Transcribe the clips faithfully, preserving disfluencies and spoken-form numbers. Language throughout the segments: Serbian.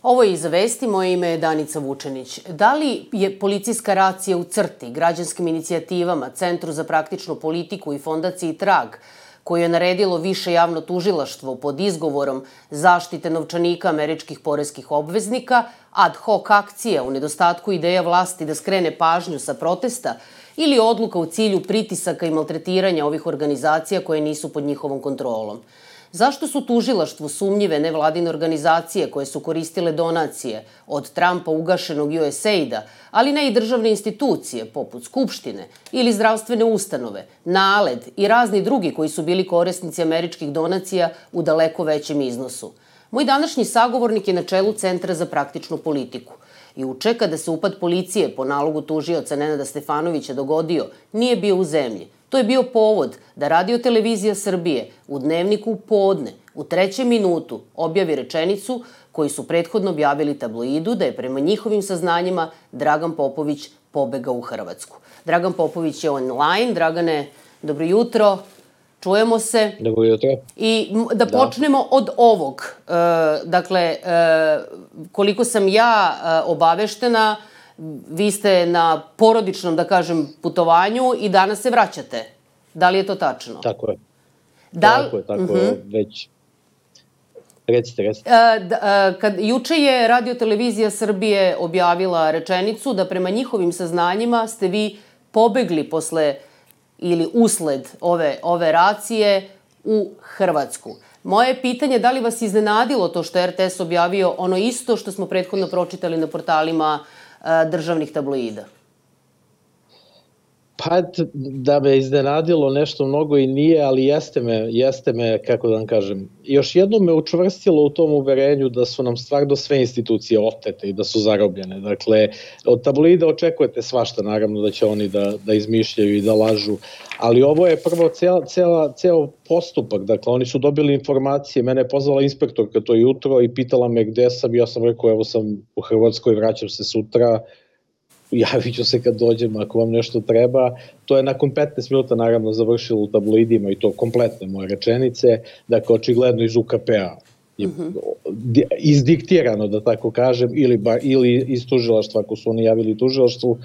Ovo je Iza vesti, moje ime je Danica Vučenić. Da li je policijska racija u crti, građanskim inicijativama, Centru za praktičnu politiku i fondaciji Trag, koju je naredilo više javno tužilaštvo pod izgovorom zaštite novčanika američkih poreskih obveznika, ad hoc akcija u nedostatku ideja vlasti da skrene pažnju sa protesta ili odluka u cilju pritisaka i maltretiranja ovih organizacija koje nisu pod njihovom kontrolom? Zašto su tužilaštvu sumnjive nevladine organizacije koje su koristile donacije od Trumpa ugašenog U S A I D-a, ali ne i državne institucije poput Skupštine ili zdravstvene ustanove, NALED i razni drugi koji su bili korisnici američkih donacija u daleko većem iznosu? Moj današnji sagovornik je na čelu Centra za praktičnu politiku. Juče, kada se upad policije po nalogu tužioca Nenada Stefanovića dogodio, nije bio u zemlji. To je bio povod da Radio-televizija Srbije u Dnevniku podne u trećem minutu objavi rečenicu koju su prethodno objavili tabloidu da je prema njihovim saznanjima Dragan Popović pobegao u Hrvatsku. Dragan Popović je online. Dragane, dobro jutro. Čujemo se. Dobro jutro. I da počnemo od ovog. Dakle, koliko sam ja obaveštena, vi ste na porodičnom, da kažem, putovanju i danas se vraćate. Da li je to tačno? Tako je. Da... Tako je, tako je, već. Recite, recite. Kad, juče je Radio-televizija Srbije objavila rečenicu da prema njihovim saznanjima ste vi pobegli posle ili usled ove, ove racije u Hrvatsku. Moje pitanje je da li vas iznenadilo to što je R T S objavio ono isto što smo prethodno pročitali na portalima državnih tabloida? Pa da me iznenadilo nešto mnogo i nije, ali jeste me, jeste me, kako da vam kažem, još jednom me učvrstilo u tom uverenju da su nam stvarno sve institucije otete i da su zarobljene. Dakle, od tabloida očekujete svašta, naravno da će oni da, da izmišljaju i da lažu, ali ovo je prvo cela, cela, ceo postupak. Dakle, oni su dobili informacije, mene je pozvala inspektorka to jutro i pitala me gde sam, ja sam rekao evo sam u Hrvatskoj, vraćam se sutra, javit ću se kad dođem ako vam nešto treba. To je nakon petnaest minuta naravno završilo u tabloidima i to kompletne moje rečenice, dakle očigledno iz U K P-a izdiktirano, da tako kažem, ili, bar, ili iz tužilaštva ako su oni javili tužilaštvu.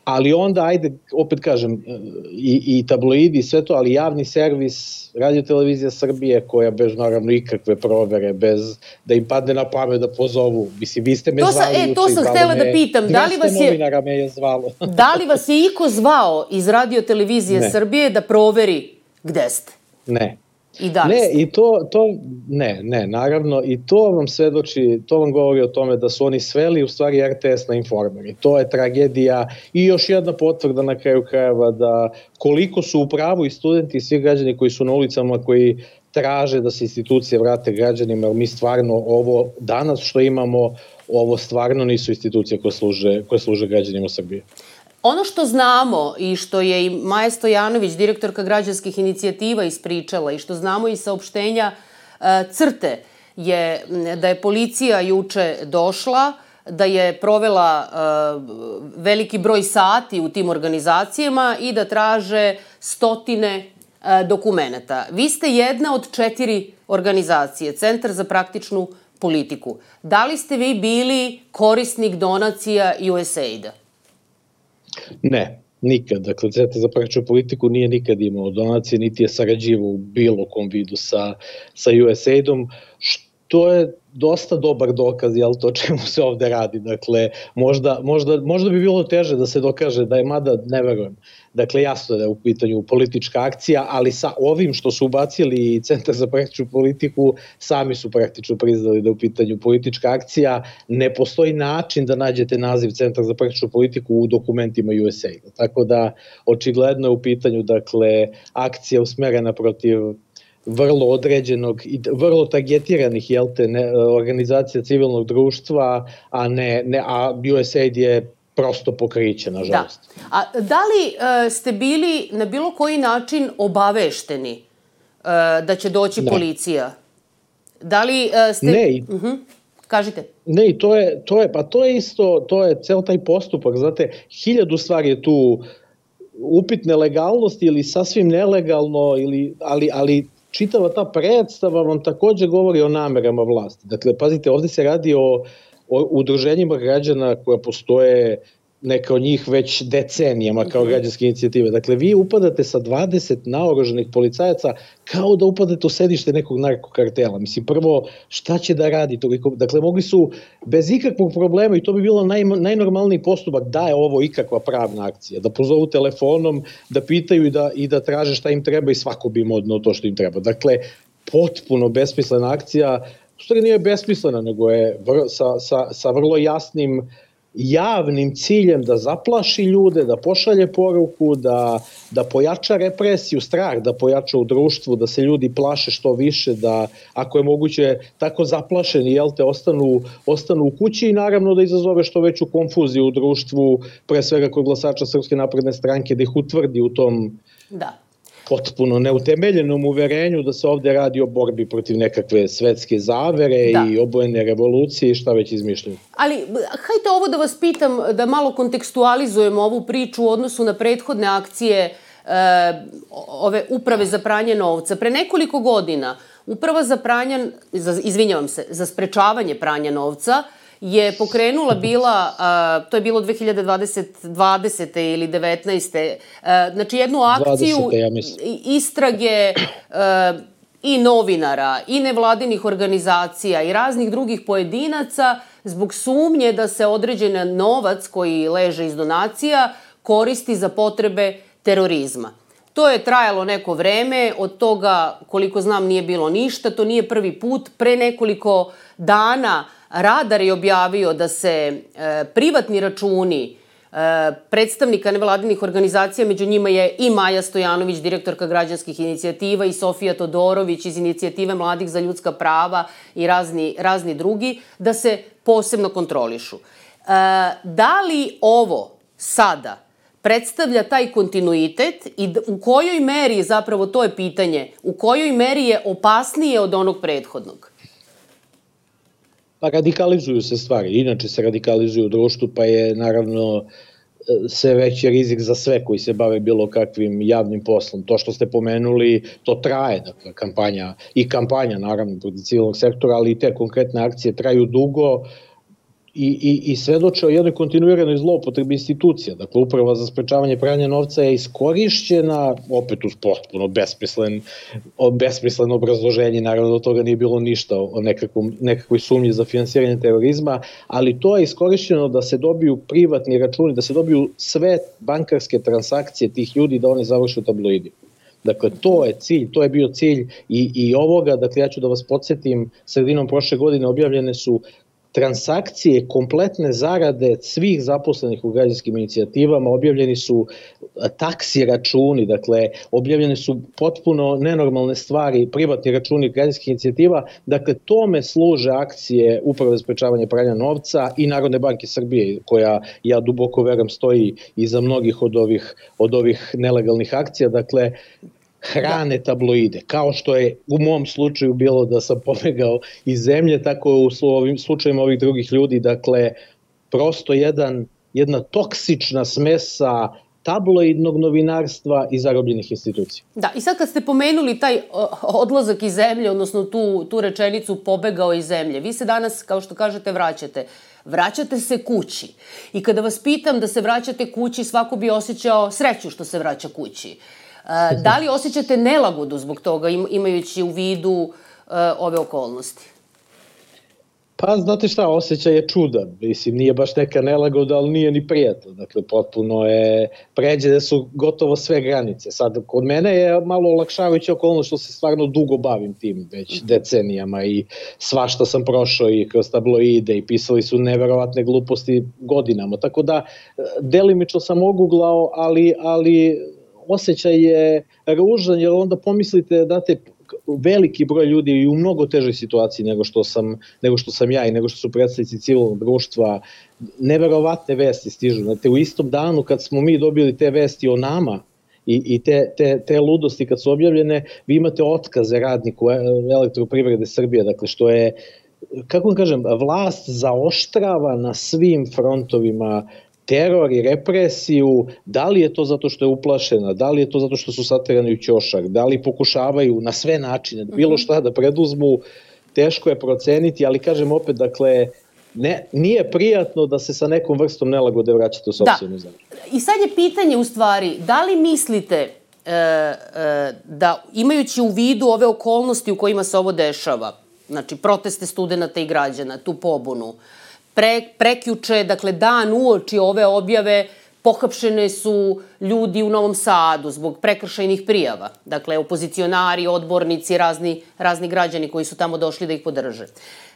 Ali onda, ajde, opet kažem, i, i tabloidi i sve to, ali javni servis, Radio-televizija Srbije, koja bez naravno ikakve provere, bez da im padne na pamet da pozovu. Mislim, vi ste me to zvali sa, juče. E, to sam htela da pitam. Da li vas je, novinara me je zvalo. Da li vas je iko zvao iz Radio-televizije Srbije da proveri gde ste? Ne. I da li ne, ste? i to, to, ne, ne, naravno, i to vam svedoči, to vam govori o tome da su oni sveli u stvari R T S na Informer. I to je tragedija i još jedna potvrda na kraju krajeva da koliko su u pravu i studenti i svi građani koji su na ulicama, koji traže da se institucije vrate građanima, jer mi stvarno ovo danas što imamo, ovo stvarno nisu institucije koje služe, koje služe građanima Srbije. Ono što znamo i što je i Maja Stojanović, direktorka građanskih inicijativa, ispričala i što znamo iz saopštenja CRTE je da je policija juče došla, da je provela veliki broj sati u tim organizacijama i da traže stotine dokumenata. Vi ste jedna od četiri organizacije, Centar za praktičnu politiku. Da li ste vi bili korisnik donacija U S A I D-a? Ne, nikad. Dakle, Centar za praktičnu politiku nije nikad imao donacije, niti je sarađivao u bilo kom vidu sa, sa U S A I D-om, što je dosta dobar dokaz, jel to, čemu se ovde radi. Dakle, možda, možda, možda bi bilo teže da se dokaže da je, mada ne verujem. Dakle, jasno da je u pitanju politička akcija, ali sa ovim što su ubacili i Centar za praktičnu politiku, sami su praktično priznali da je u pitanju politička akcija. Ne postoji način da nađete naziv Centar za praktičnu politiku u dokumentima U S A I D-a. Tako da, očigledno je u pitanju, dakle, akcija usmerena protiv vrlo određenog i vrlo targetiranih, jel te, ne, organizacija civilnog društva, a ne, ne a U S A I D je prosto pokriće, nažalost. Da. A da li uh, ste bili na bilo koji način obavešteni uh, da će doći ne. policija? Da li uh, ste... Ne. Uh -huh. Kažite. Ne, i to je, to je, pa to je isto, to je cel taj postupak, znate, hiljadu stvari je tu upitne legalnosti ili sasvim nelegalno, ili, ali, ali čitava ta predstava vam takođe govori o namerama vlasti. Dakle, pazite, ovde se radi o, o udruženjima građana koja postoje neka od njih već decenijama kao građanske inicijative. Dakle, vi upadate sa dvadeset naoružanih policajaca kao da upadate u sedište nekog narkokartela. Mislim, prvo, šta će da radi toliko? Dakle, mogli su bez ikakvog problema, i to bi bilo naj, najnormalniji postupak, da je ovo ikakva pravna akcija, da pozovu telefonom, da pitaju i da, i da traže šta im treba i svako bi im odneo to što im treba. Dakle, potpuno besmislena akcija, u stvari nije besmislena, nego je vr, sa, sa, sa vrlo jasnim javnim ciljem da zaplaši ljude, da pošalje poruku, da, da pojača represiju, strah da pojača u društvu, da se ljudi plaše što više, da ako je moguće tako zaplašeni, jel te, ostanu, ostanu u kući i naravno da izazove što veću konfuziju u društvu, pre svega kod glasača Srpske napredne stranke, da ih utvrdi u tom da. potpuno neutemeljenom uverenju da se ovde radi o borbi protiv nekakve svetske zavere da. i obojene revolucije i šta već izmišljaju. Ali, hajde ovo da vas pitam, da malo kontekstualizujemo ovu priču u odnosu na prethodne akcije e, ove uprave za pranje novca. Pre nekoliko godina uprava za pranje, za, izvinjavam se, za sprečavanje pranja novca je pokrenula bila, a, to je bilo dve hiljade dvadesete ili devetnaeste. A, znači jednu akciju dvadesete, ja istrage a, i novinara, i nevladinih organizacija, i raznih drugih pojedinaca zbog sumnje da se određen novac koji leže iz donacija koristi za potrebe terorizma. To je trajalo neko vreme, od toga, koliko znam, nije bilo ništa, to nije prvi put. Pre nekoliko dana Radar je objavio da se e, privatni računi e, predstavnika nevladinih organizacija, među njima je i Maja Stojanović, direktorka građanskih inicijativa, i Sofija Todorović iz inicijative Mladih za ljudska prava i razni, razni drugi, da se posebno kontrolišu. E, da li ovo sada predstavlja taj kontinuitet i u kojoj meri, zapravo to je pitanje, u kojoj meri je opasnije od onog prethodnog? Pa radikalizuju se stvari, inače se radikalizuju u društvu, pa je naravno sve veći rizik za sve koji se bave bilo kakvim javnim poslom. To što ste pomenuli, to traje, dakle, kampanja, i kampanja naravno protiv civilnog sektora, ali i te konkretne akcije traju dugo, I, i, i svedoče o jednoj kontinuiranoj zloupotrebi institucija. Dakle, uprava za sprečavanje pranja novca je iskorišćena, opet uz potpuno besmislen, besmisleno obrazloženje, naravno od toga nije bilo ništa o nekakvom, nekakvoj sumnji za finansiranje terorizma, ali to je iskorišćeno da se dobiju privatni računi, da se dobiju sve bankarske transakcije tih ljudi, da oni završe u tabloidi. Dakle, to je cilj, to je bio cilj i, i ovoga, dakle, ja ću da vas podsjetim, sredinom prošle godine objavljene su transakcije, kompletne zarade svih zaposlenih u građanskim inicijativama, objavljeni su taksi računi, dakle, objavljene su potpuno nenormalne stvari, privatni računi građanskih inicijativa, dakle, tome služe akcije Uprave za sprečavanje pranja novca i Narodne banke Srbije, koja, ja duboko verujem, stoji iza mnogih od ovih, od ovih nelegalnih akcija, dakle, hrane tabloide, kao što je u mom slučaju bilo da sam pobegao iz zemlje, tako u ovim slučajima ovih drugih ljudi, dakle, prosto jedan, jedna toksična smesa tabloidnog novinarstva i zarobljenih institucija. Da, i sad kad ste pomenuli taj odlazak iz zemlje, odnosno tu, tu rečenicu pobegao iz zemlje, vi se danas, kao što kažete, vraćate. Vraćate se kući. I kada vas pitam da se vraćate kući, svako bi osjećao sreću što se vraća kući. Da li osjećate nelagodu zbog toga, imajući u vidu uh, ove okolnosti? Pa, znate šta, osjećaj je čudan. Mislim, nije baš neka nelagoda, ali nije ni prijatno. Dakle, potpuno je, pređene su gotovo sve granice. Sad, kod mene je malo olakšavajuća okolnost što se stvarno dugo bavim tim već decenijama i svašta sam prošao i kroz tabloide i pisali su neverovatne gluposti godinama. Tako da, delimično sam oguglao, ali, ali osjećaj je ružan, jer onda pomislite, date, veliki broj ljudi i u mnogo težoj situaciji nego što sam, nego što sam ja i nego što su predstavnici civilnog društva. Neverovatne vesti stižu. Znate, u istom danu kad smo mi dobili te vesti o nama i, i te, te, te ludosti kad su objavljene, vi imate otkaze radniku Elektroprivrede Srbije, dakle što je, kako vam kažem, vlast zaoštrava na svim frontovima teror i represiju, da li je to zato što je uplašena, da li je to zato što su saterani u ćošak, da li pokušavaju na sve načine, bilo šta da preduzmu, teško je proceniti, ali kažem opet, dakle, ne, nije prijatno da se sa nekom vrstom nelagode vraćate u sopstvenu zemlju. I sad je pitanje u stvari, da li mislite e, e, da imajući u vidu ove okolnosti u kojima se ovo dešava, znači proteste studenta i građana, tu pobunu, pre, prekjuče, dakle dan uoči ove objave, pohapšene su ljudi u Novom Sadu zbog prekršajnih prijava. Dakle, opozicionari, odbornici, razni, razni građani koji su tamo došli da ih podrže.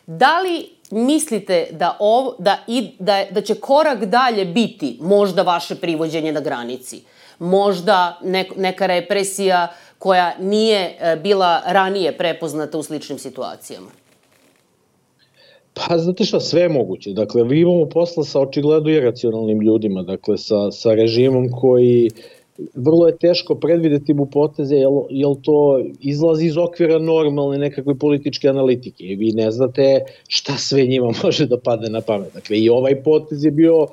Da li mislite da, ov, da, i, da, da će korak dalje biti možda vaše privođenje na granici? Možda ne, neka represija koja nije bila ranije prepoznata u sličnim situacijama? Pa, znate šta, sve je moguće. Dakle, vi imamo posla sa očigledno iracionalnim ljudima, dakle, sa, sa režimom koji vrlo je teško predvideti mu poteze, jel, jel to izlazi iz okvira normalne nekakve političke analitike. I vi ne znate šta sve njima može da padne na pamet. Dakle, i ovaj potez je bio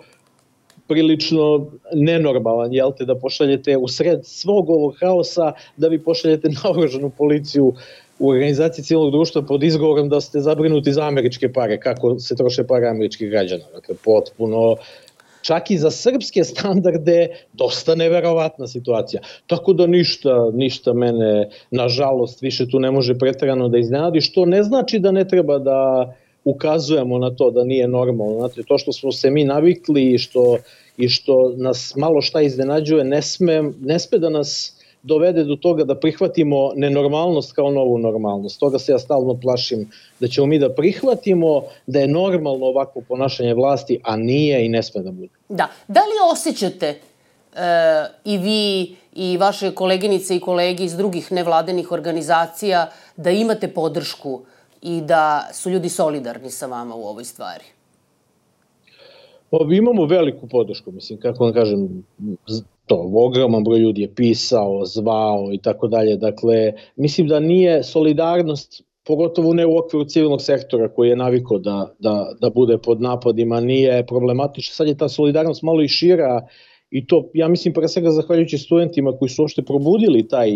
prilično nenormalan, jel te, da pošaljete u sred svog ovog haosa, da vi pošaljete naoružanu policiju u organizaciji civilnog društva pod izgovorom da ste zabrinuti za američke pare, kako se troše pare američkih građana. Dakle, potpuno, čak i za srpske standarde, dosta neverovatna situacija. Tako da ništa, ništa mene, nažalost, više tu ne može preterano da iznenadi, što ne znači da ne treba da ukazujemo na to da nije normalno. Znate, to što smo se mi navikli i što, i što nas malo šta iznenađuje, ne sme, ne sme da nas dovede do toga da prihvatimo nenormalnost kao novu normalnost. Toga se ja stalno plašim, da ćemo mi da prihvatimo da je normalno ovakvo ponašanje vlasti, a nije i ne sme da bude. Da. Da li osjećate e, i vi i vaše koleginice i kolege iz drugih nevladenih organizacija da imate podršku i da su ljudi solidarni sa vama u ovoj stvari? O, imamo veliku podršku, mislim, kako vam kažem, to, ogroman broj ljudi je pisao, zvao i tako dalje. Dakle, mislim da nije solidarnost, pogotovo ne u okviru civilnog sektora koji je navikao da, da, da bude pod napadima, nije problematična. Sad je ta solidarnost malo i šira i to, ja mislim, pre svega zahvaljujući studentima koji su uopšte probudili taj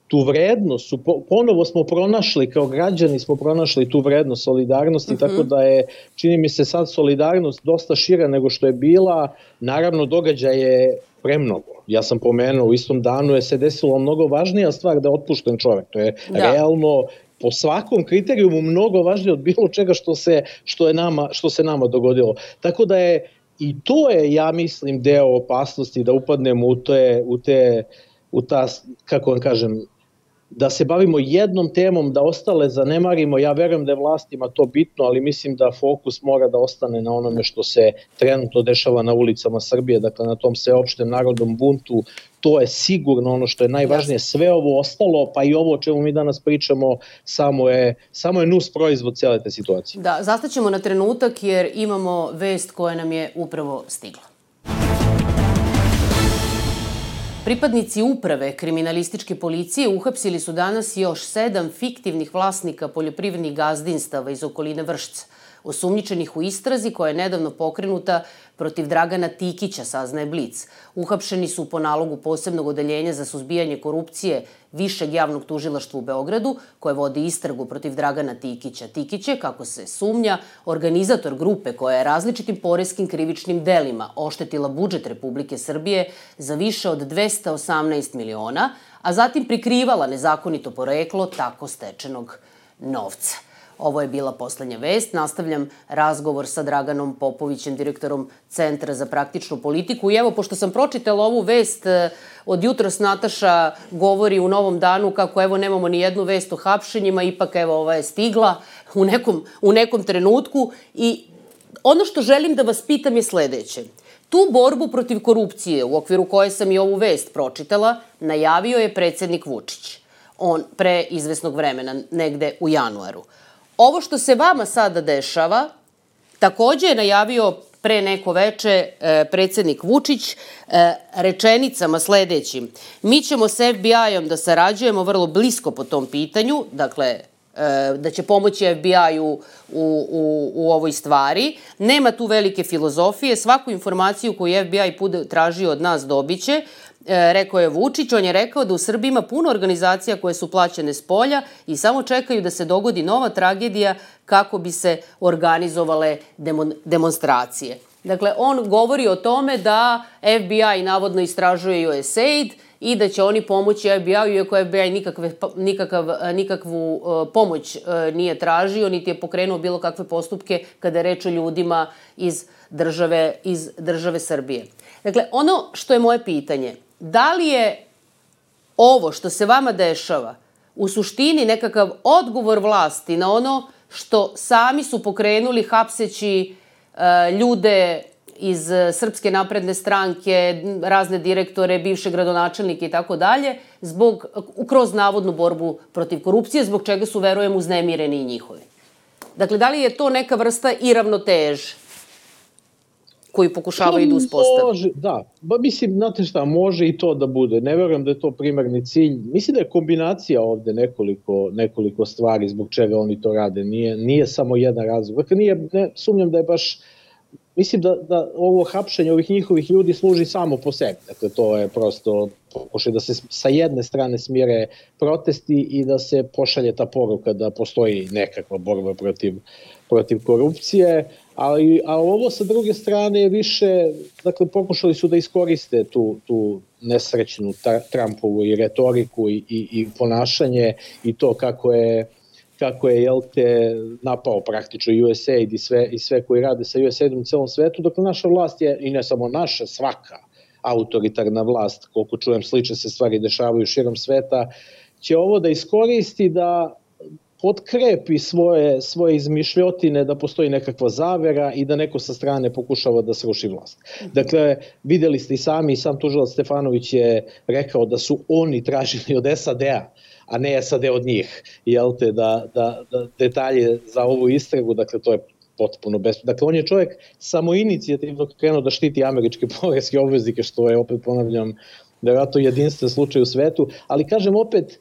tu vrednost, su, ponovo smo pronašli, kao građani smo pronašli tu vrednost solidarnosti, uh-huh. Tako da je, čini mi se sad solidarnost dosta šira nego što je bila, naravno događaj je premnogo. Ja sam pomenuo, u istom danu je se desilo mnogo važnija stvar da je otpušten čovek, to je da. Realno po svakom kriterijumu mnogo važnije od bilo čega što se, što je nama, što se nama dogodilo. Tako da je, i to je, ja mislim, deo opasnosti da upadnemo u te, u te, u ta, kako vam kažem, da se bavimo jednom temom, da ostale zanemarimo. Ja verujem da je vlastima to bitno, ali mislim da fokus mora da ostane na onome što se trenutno dešava na ulicama Srbije, dakle na tom sveopštem narodnom buntu. To je sigurno ono što je najvažnije. Sve ovo ostalo, pa i ovo o čemu mi danas pričamo, samo je, samo je nus proizvod cijele te situacije. Da, zastaćemo na trenutak jer imamo vest koja nam je upravo stigla. Pripadnici uprave kriminalističke policije uhapsili su danas još sedam fiktivnih vlasnika poljoprivrednih gazdinstava iz okoline Vršca, osumnjičenih u istrazi koja je nedavno pokrenuta protiv Dragana Tikića, saznaje Blic. Uhapšeni su po nalogu posebnog odeljenja za suzbijanje korupcije Višeg javnog tužilaštva u Beogradu, koje vodi istragu protiv Dragana Tikića. Tikić je, kako se sumnja, organizator grupe koja je različitim poreskim krivičnim delima oštetila budžet Republike Srbije za više od dvesta osamnaest miliona, a zatim prikrivala nezakonito poreklo tako stečenog novca. Ovo je bila poslednja vest. Nastavljam razgovor sa Draganom Popovićem, direktorom Centra za praktičnu politiku. I evo, pošto sam pročitala ovu vest, od jutros Nataša govori u Novom danu kako evo nemamo ni jednu vest o hapšenjima, ipak evo ova je stigla u nekom, u nekom trenutku. I ono što želim da vas pitam je sledeće. Tu borbu protiv korupcije, u okviru koje sam i ovu vest pročitala, najavio je predsednik Vučić. On pre izvesnog vremena, negde u januaru. Ovo što se vama sada dešava, takođe je najavio pre neko veče predsednik Vučić rečenicama sledećim. Mi ćemo s F B I-om da sarađujemo vrlo blisko po tom pitanju, dakle da će pomoći F B I-u u, u, u ovoj stvari. Nema tu velike filozofije. Svaku informaciju koju F B I bude tražio od nas dobiće. Rekao je Vučić, on je rekao da u Srbiji ima puno organizacija koje su plaćene s polja i samo čekaju da se dogodi nova tragedija kako bi se organizovale demonstracije. Dakle, on govori o tome da F B I navodno istražuje U S A I D i da će oni pomoći F B I-u, iako F B I nikakve, nikakav, nikakvu uh, pomoć uh, nije tražio, niti je pokrenuo bilo kakve postupke kada je reč o ljudima iz države, iz države Srbije. Dakle, ono što je moje pitanje, da li je ovo što se vama dešava u suštini nekakav odgovor vlasti na ono što sami su pokrenuli hapseći uh, ljude iz Srpske napredne stranke, razne direktore, bivše gradonačelnike i tako dalje, zbog, kroz navodnu borbu protiv korupcije, zbog čega su, verujem, uznemireni i njihovi. Dakle, da li je to neka vrsta i ravnoteže koju pokušavaju da uspostaviti? Može, da. Ba, mislim, znate šta, može i to da bude. Ne verujem da je to primarni cilj. Mislim da je kombinacija ovde nekoliko, nekoliko stvari zbog čega oni to rade. Nije, nije samo jedan razlog. Dakle, nije, ne, sumnjam da je baš. Mislim da, da ovo hapšenje ovih njihovih ljudi služi samo po sebi. Dakle, to je prosto pokušaj da se sa jedne strane smire protesti i da se pošalje ta poruka da postoji nekakva borba protiv, protiv korupcije. Ali, a ovo sa druge strane je više, dakle, pokušali su da iskoriste tu, tu nesrećnu Trumpovu i retoriku i, i, i ponašanje i to kako je kako je, jel te, napao praktično U S A I D i sve, i sve koji rade sa U S A I D-om u celom svetu. Dakle, naša vlast je, i ne samo naša, svaka autoritarna vlast, koliko čujem, slične se stvari dešavaju širom sveta, će ovo da iskoristi da potkrepi svoje, svoje izmišljotine da postoji nekakva zavera i da neko sa strane pokušava da sruši vlast. Dakle, videli ste i sami, sam tužilac Stefanović je rekao da su oni tražili od S A D-a, a ne S A D od njih, jel te, da, da, da detalje za ovu istragu, dakle, to je potpuno bez... Dakle, on je čovjek samoinicijativno krenuo da štiti američke poreske obveznike, što je, opet ponavljam, vjerojatno jedinstven slučaj u svetu, ali kažem opet,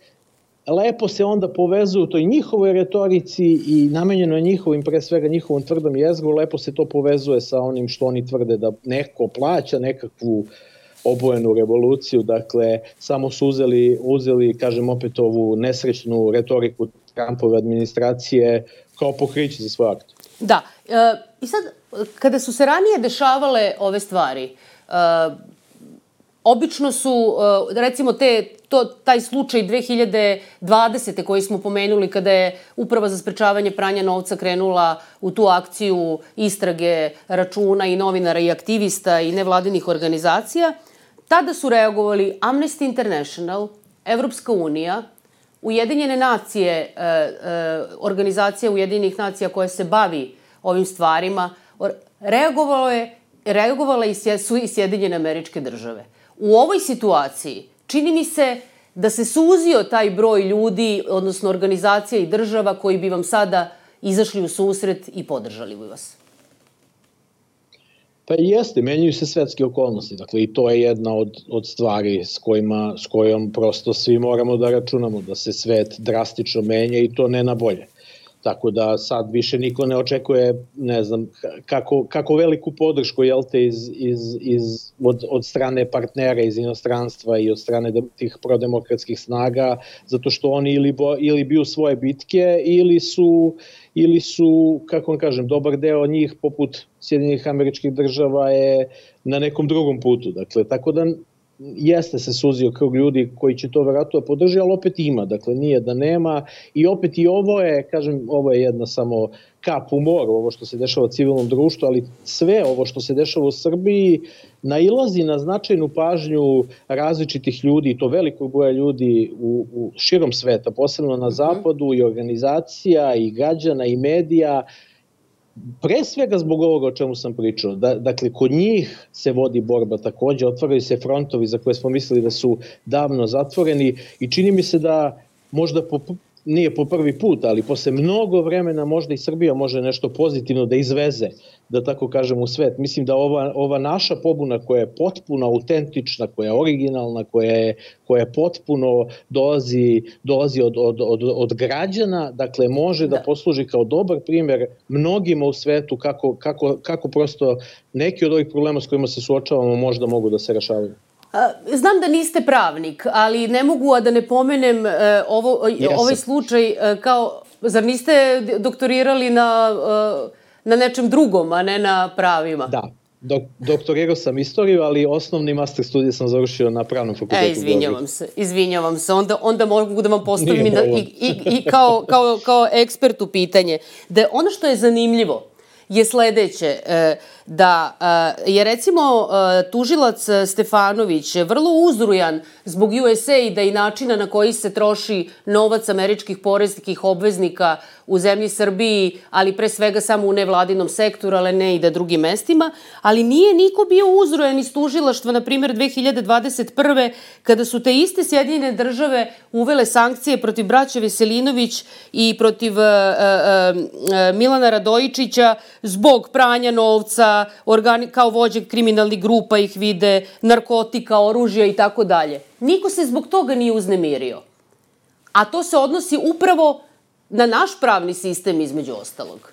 lepo se onda povezuju toj njihovoj retorici i namenjeno njihovim, pre svega njihovom tvrdom jezgru, lepo se to povezuje sa onim što oni tvrde da neko plaća nekakvu obojenu revoluciju, dakle, samo su uzeli, uzeli, kažem opet, ovu nesrećnu retoriku Trumpove administracije kao pokriće za svoj akt. Da, e, i sad, kada su se ranije dešavale ove stvari, e, obično su, e, recimo, te, to, taj slučaj dve hiljade dvadesete koji smo pomenuli, kada je Uprava za sprečavanje pranja novca krenula u tu akciju istrage računa i novinara i aktivista i nevladinih organizacija, tada su reagovali Amnesty International, Evropska unija, Ujedinjene nacije, e, e, organizacija Ujedinjenih nacija koja se bavi ovim stvarima, reagovalo je, reagovala i su i Sjedinjene Američke Države. U ovoj situaciji čini mi se da se suzio taj broj ljudi, odnosno organizacija i država koji bi vam sada izašli u susret i podržali bi vas. Pa jeste, menjaju se svetske okolnosti, dakle i to je jedna od, od stvari s, kojima, s kojom prosto svi moramo da računamo, da se svet drastično menja i to ne na bolje. Tako da sad više niko ne očekuje, ne znam, kako, kako veliku podršku, jel te, iz, iz, iz, od, od strane partnera iz inostranstva i od strane de, tih prodemokratskih snaga, zato što oni ili, bo, ili biju svoje bitke ili su, ili su, kako vam kažem, dobar deo njih poput Sjedinjenih Američkih Država je na nekom drugom putu. Dakle, tako da jeste se suzio krug ljudi koji će to vjerojatno podržati, ali opet ima, dakle nije da nema i opet i ovo je, kažem, ovo je jedna samo kap u moru, ovo što se dešava u civilnom društvu, ali sve ovo što se dešava u Srbiji nailazi na značajnu pažnju različitih ljudi, i to velikog broja ljudi u, u širom sveta, posebno na zapadu, i organizacija, i građana, i medija, pre svega zbog ovoga o čemu sam pričao. Da, dakle, kod njih se vodi borba takođe, otvaraju se frontovi za koje smo mislili da su davno zatvoreni i čini mi se da možda po, nije po prvi put, ali posle mnogo vremena možda i Srbija može nešto pozitivno da izveze, da tako kažem, u svet. Mislim da ova, ova naša pobuna koja je potpuno autentična, koja je originalna, koja je, koja je potpuno dolazi, dolazi od, od, od, od građana, dakle može da, da posluži kao dobar primer mnogima u svetu kako, kako, kako prosto neki od ovih problema s kojima se suočavamo možda mogu da se rešavaju. Znam da niste pravnik, ali ne mogu a da ne pomenem ovo, ovaj slučaj kao, zar niste doktorirali na, na nečem drugom, a ne na pravima? Da, dok, doktorirao sam istoriju, ali osnovni master studij sam završio na pravnom fakultetu. E, izvinjavam se, izvinjavam se, onda, onda mogu da vam postavim i, i, i kao, kao, kao ekspertu pitanje. Da ono što je zanimljivo je sledeće, da je recimo tužilac Stefanović vrlo uzrujan zbog U S A I-da i načina na koji se troši novac američkih poreskih obveznika u zemlji Srbiji, ali pre svega samo u nevladinom sektoru, ali ne i da drugim mestima, ali nije niko bio uzrujan iz tužilaštva, na primjer dve hiljade dvadeset prve. kada su te iste Sjedinjene države uvele sankcije protiv braće Veselinović i protiv uh, uh, Milana Radojičića zbog pranja novca, organi, kao vođe kriminalnih grupa ih vide, narkotika, oružja i tako dalje. Niko se zbog toga nije uznemirio. A to se odnosi upravo na naš pravni sistem između ostalog.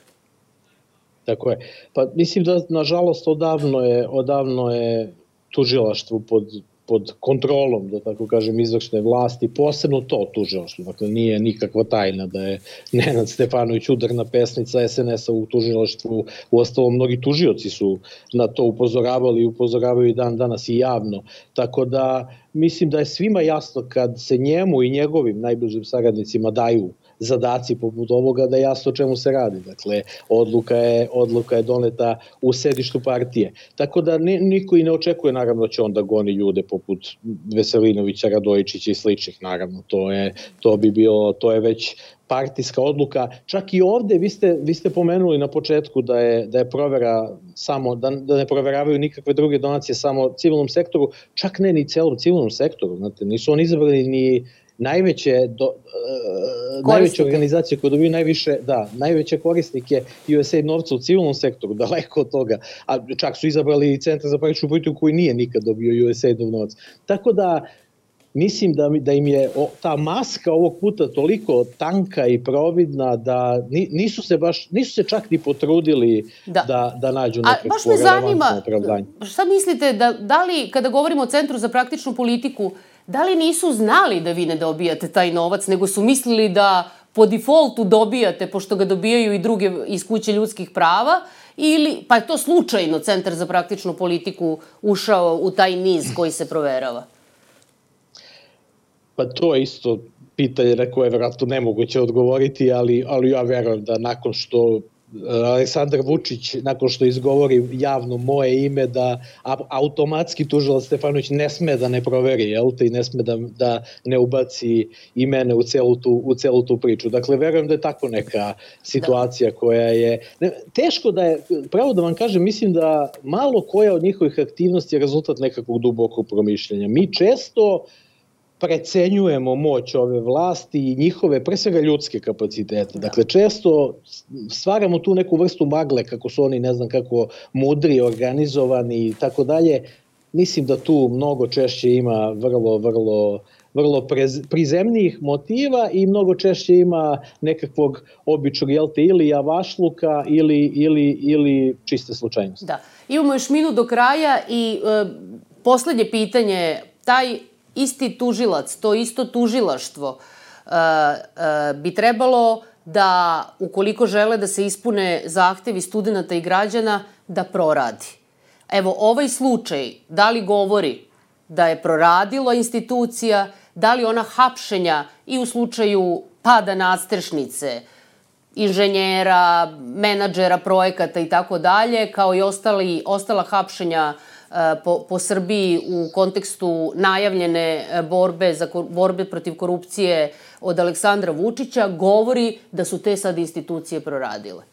Tako je. Pa mislim da, nažalost, odavno je, odavno je tužilaštvo pod, pod kontrolom, da tako kažem, izvršne vlasti, posebno to tužilaštvo. Dakle, nije nikakva tajna da je Nenad Stefanović udarna pesnica S N S-a u tužilaštvu. Uostalom, mnogi tužioci su na to upozoravali i upozoravaju i dan danas i javno. Tako da mislim da je svima jasno kad se njemu i njegovim najbližim saradnicima daju zadaci poput ovoga, da je jasno o čemu se radi. Dakle, odluka je, odluka je doneta u sedištu partije. Tako da niko i ne očekuje, naravno, da će onda goni ljude poput Veselinovića, Radojičića i sličnih, naravno. To je, to bi bilo, to je već partijska odluka. Čak i ovde, vi ste, vi ste pomenuli na početku da je, da je provera samo, da, da ne proveravaju nikakve druge donacije samo civilnom sektoru, čak ne ni celom civilnom sektoru. Znate, nisu oni izabrali ni najveće, do, uh, najveće organizacije koje dobiju najviše, da, najveće korisnike U S A I D novca u civilnom sektoru, daleko od toga, a čak su izabrali i Centar za praktičnu politiku koji nije nikad dobio U S A I D novac. Tako da, mislim da, da im je o, ta maska ovog puta toliko tanka i providna da nisu se baš, nisu se čak ni potrudili da, da, da nađu nekako relevantno opravdanje. Šta mislite, da, da li, kada govorimo o Centru za praktičnu politiku, da li nisu znali da vi ne dobijate taj novac, nego su mislili da po defaultu dobijate, pošto ga dobijaju i druge iz kuće ljudskih prava, ili, pa je to slučajno Centar za praktičnu politiku ušao u taj niz koji se proverava? Pa to je isto pitanje na koje je vjerojatno nemoguće odgovoriti, ali, ali ja verujem da nakon što Aleksandar Vučić, nakon što izgovori javno moje ime, da automatski tužilac Stefanović ne sme da ne proveri, jel te, i ne sme da, da ne ubaci i mene u celu tu, u celu tu priču. Dakle, verujem da je tako neka situacija koja je... Ne, teško da je, pravo da vam kažem, mislim da malo koja od njihovih aktivnosti je rezultat nekakvog dubokog promišljenja. Mi često precenjujemo moć ove vlasti i njihove, pre svega, ljudske kapacitete. Dakle, često stvaramo tu neku vrstu magle, kako su oni, ne znam kako, mudri, organizovani i tako dalje. Mislim da tu mnogo češće ima vrlo, vrlo, vrlo prizemnijih motiva i mnogo češće ima nekakvog običnog, jel te, ili javašluka ili, ili, ili čiste slučajnosti. Da. Imamo još minut do kraja i e, poslednje pitanje, taj isti tužilac, to isto tužilaštvo uh, uh, bi trebalo da, ukoliko žele da se ispune zahtevi studenta i građana, da proradi. Evo, ovaj slučaj, da li govori da je proradila institucija, da li ona hapšenja i u slučaju pada nadstrešnice, inženjera, menadžera projekata i tako dalje, kao i ostali, ostala hapšenja Po, po Srbiji u kontekstu najavljene borbe, za, borbe protiv korupcije od Aleksandra Vučića, govori da su te sad institucije proradile?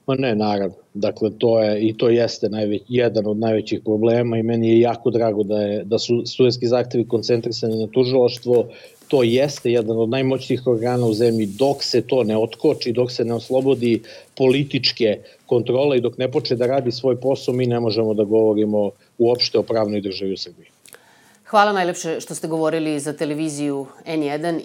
Ma ne, naravno. Dakle, to je, i to jeste najveć, jedan od najvećih problema i meni je jako drago da, je, da su studentski zahtevi koncentrisani na tužilaštvo. To jeste jedan od najmoćnijih organa u zemlji. Dok se to ne otkoči, dok se ne oslobodi političke kontrole i dok ne počne da radi svoj posao, mi ne možemo da govorimo uopšte o pravnoj državi u Srbiji. Hvala najlepše što ste govorili za televiziju N jedan.